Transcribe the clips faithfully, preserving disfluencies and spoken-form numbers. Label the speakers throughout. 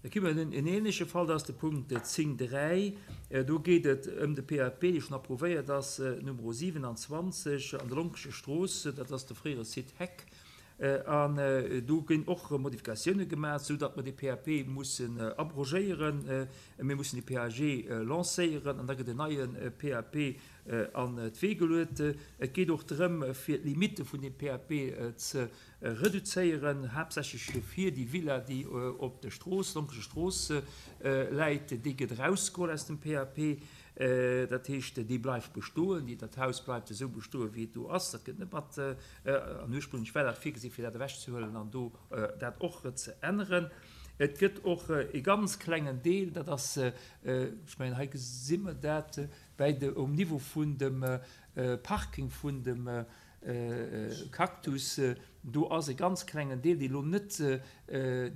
Speaker 1: Da kritt mer en ähnleche Fall, dat ass de Punkt zéng dräi. Do geet et ëm de P A P, dee schonn approuvéiert ass, Numero siewenanzwanzeg an der Lonkescher Strooss, dat ass de fréiere Site Heck. An do ginn och Modifikatioune gemaach, sou datt mer dee P A P mussen abrogéieren. Mir mussen de P A G lancéieren an da gëtt en neie P A P an d'Wee geluet. Et geet och drëm, fir d'Limitte vun deem P A P ze reduzéieren, haaptsächlech fir déi Villa, déi op der Strooss, Lonkescher Strooss läit. Déi gëtt erausgeholl aus dem P A P. Dat heescht, déi bleift bestoen, déi, dat Haus bleift esou bestoen, wéi et do ass. Dat gëtt net mat, an ursprünglech war dat virgesi fir dat ewechzehuelen an do dat och ze änneren. Et gëtt och e ganz klengen Deel, dat ass, ech mengen, hei gesi mer dat, bäi de, um Niveau vun dem Parking vun dem Cactus, do ass e ganz klengen Deel, dee lo net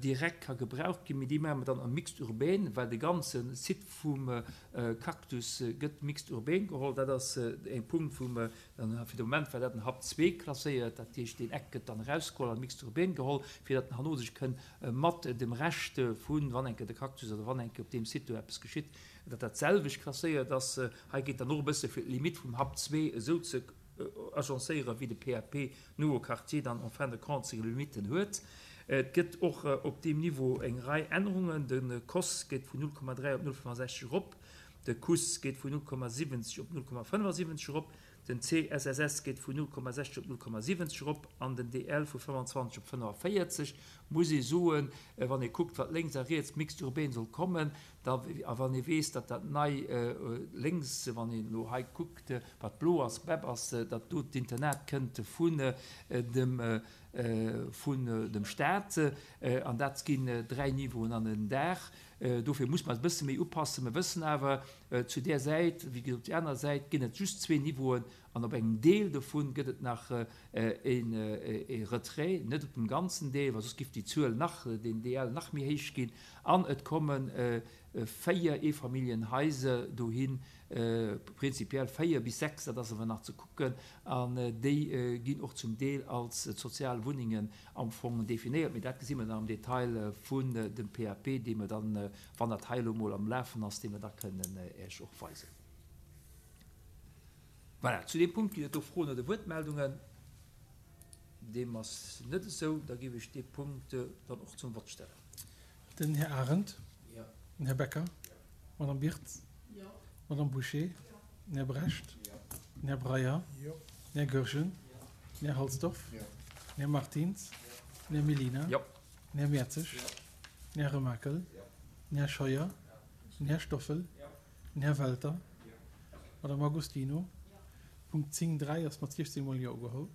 Speaker 1: direkt ka gebraucht ginn, mee dee maache mer dann am Mixte urbain, well de ganze Site vum Cactus gëtt Mixte urbain geholl. Dat ass e Punkt, wou mer dann, fir de Moment war dat en Hap zwee klasséiert, dat heescht, deen Eck gëtt dann erausgeholl an Mixte urbain geholl, fir datt en herno sech kënn mat dem Rescht vun, wann eng Kéier de Cactus oder wann eng Kéier op deem Site do eppes geschitt, datt dat selwecht klasséiert ass. Hei geet dann och e bësse fir d'Limite vum Hap zwee esou ze agencéieren, wéi de P A P Nouveau Quartier dann en fin de compte seng Limiten huet. Et gëtt och op deem Niveau eng Rei Ännerungen. De C O S geet vun null Komma dräi op null Komma fënnefensechzeg erop, de C U S geet vun null Komma siwwenzeg op null Komma fënnefensiwwenzeg erop, den C S S S geet vun null Komma sechzeg op null Komma siwwenzeg erop an den D L vu fënnefenzwanzeg op fënnefenvéierzeg. Muss ee soen, wann ee kuckt, wat lénks a riets Mixte urbain soll kommen, da, a wann ee weess, datt dat nei lénks, wann een elo hei kuckt, wat blo ass, B E B ass, datt do d'Internat kënnt vun dem vun dem Staat, an dat ginn dräi Niveauen an en Daach. Dofir muss mer e bësse méi upassen. Mer wëssen awer, zu där Säit, wéi gesot, op déi aner Säit ginn et just zwee Niveauen an op engem Deel dovun gëtt et nach e Retrait, net op dem ganzen Deel, well soss giff déi Zuel nach, den D L nach méi héich ginn. An et komme véier Eefamilljenhaiser dohin, prinzipiell véier bis sechs, dat ass awer nach ze kucken, an déi ginn och zum Deel als sozial Wunnengen am Fong definéiert. Mee dat gesi mer dann am Detail vun dem P A P, dee mer dann, wann dat hei elo mol am Lafen ass, dee mer da kënnen Iech och weisen. Voilà, zu deem Punkt ginn et do Froen oder Wuertmeldungen? Deem ass net esou. Da géif ech dee Punkt dann och zum Vott stellen.
Speaker 2: Den Här Arendt.
Speaker 1: Jo.
Speaker 2: Den Här Becker.
Speaker 1: Jo.
Speaker 2: D'Madame Birtz.
Speaker 3: Jo.
Speaker 2: D'Madame Bouché.
Speaker 3: Jo.
Speaker 2: Den Här Brecht.
Speaker 1: Jo.
Speaker 2: Den Här Breyer.
Speaker 4: Jo.
Speaker 2: Den Här Goergen.
Speaker 1: Jo.
Speaker 2: Den Här Halsdorf.
Speaker 4: Jo.
Speaker 2: Den Här Martins.
Speaker 1: Jo.
Speaker 2: Den Här Mellina.
Speaker 1: Jo.
Speaker 2: Den Här Mertzig.
Speaker 1: Jo.
Speaker 2: Den Här Remakel.
Speaker 1: Jo.
Speaker 2: Den Här Scheuer. Den Här Stoffel.
Speaker 1: Jo.
Speaker 2: Den Här Welter.
Speaker 1: Jo.
Speaker 2: D'Madame Agostino.
Speaker 3: Jo.
Speaker 2: Punkt zéng dräi ass mat siechzéng mol Jo ugeholl.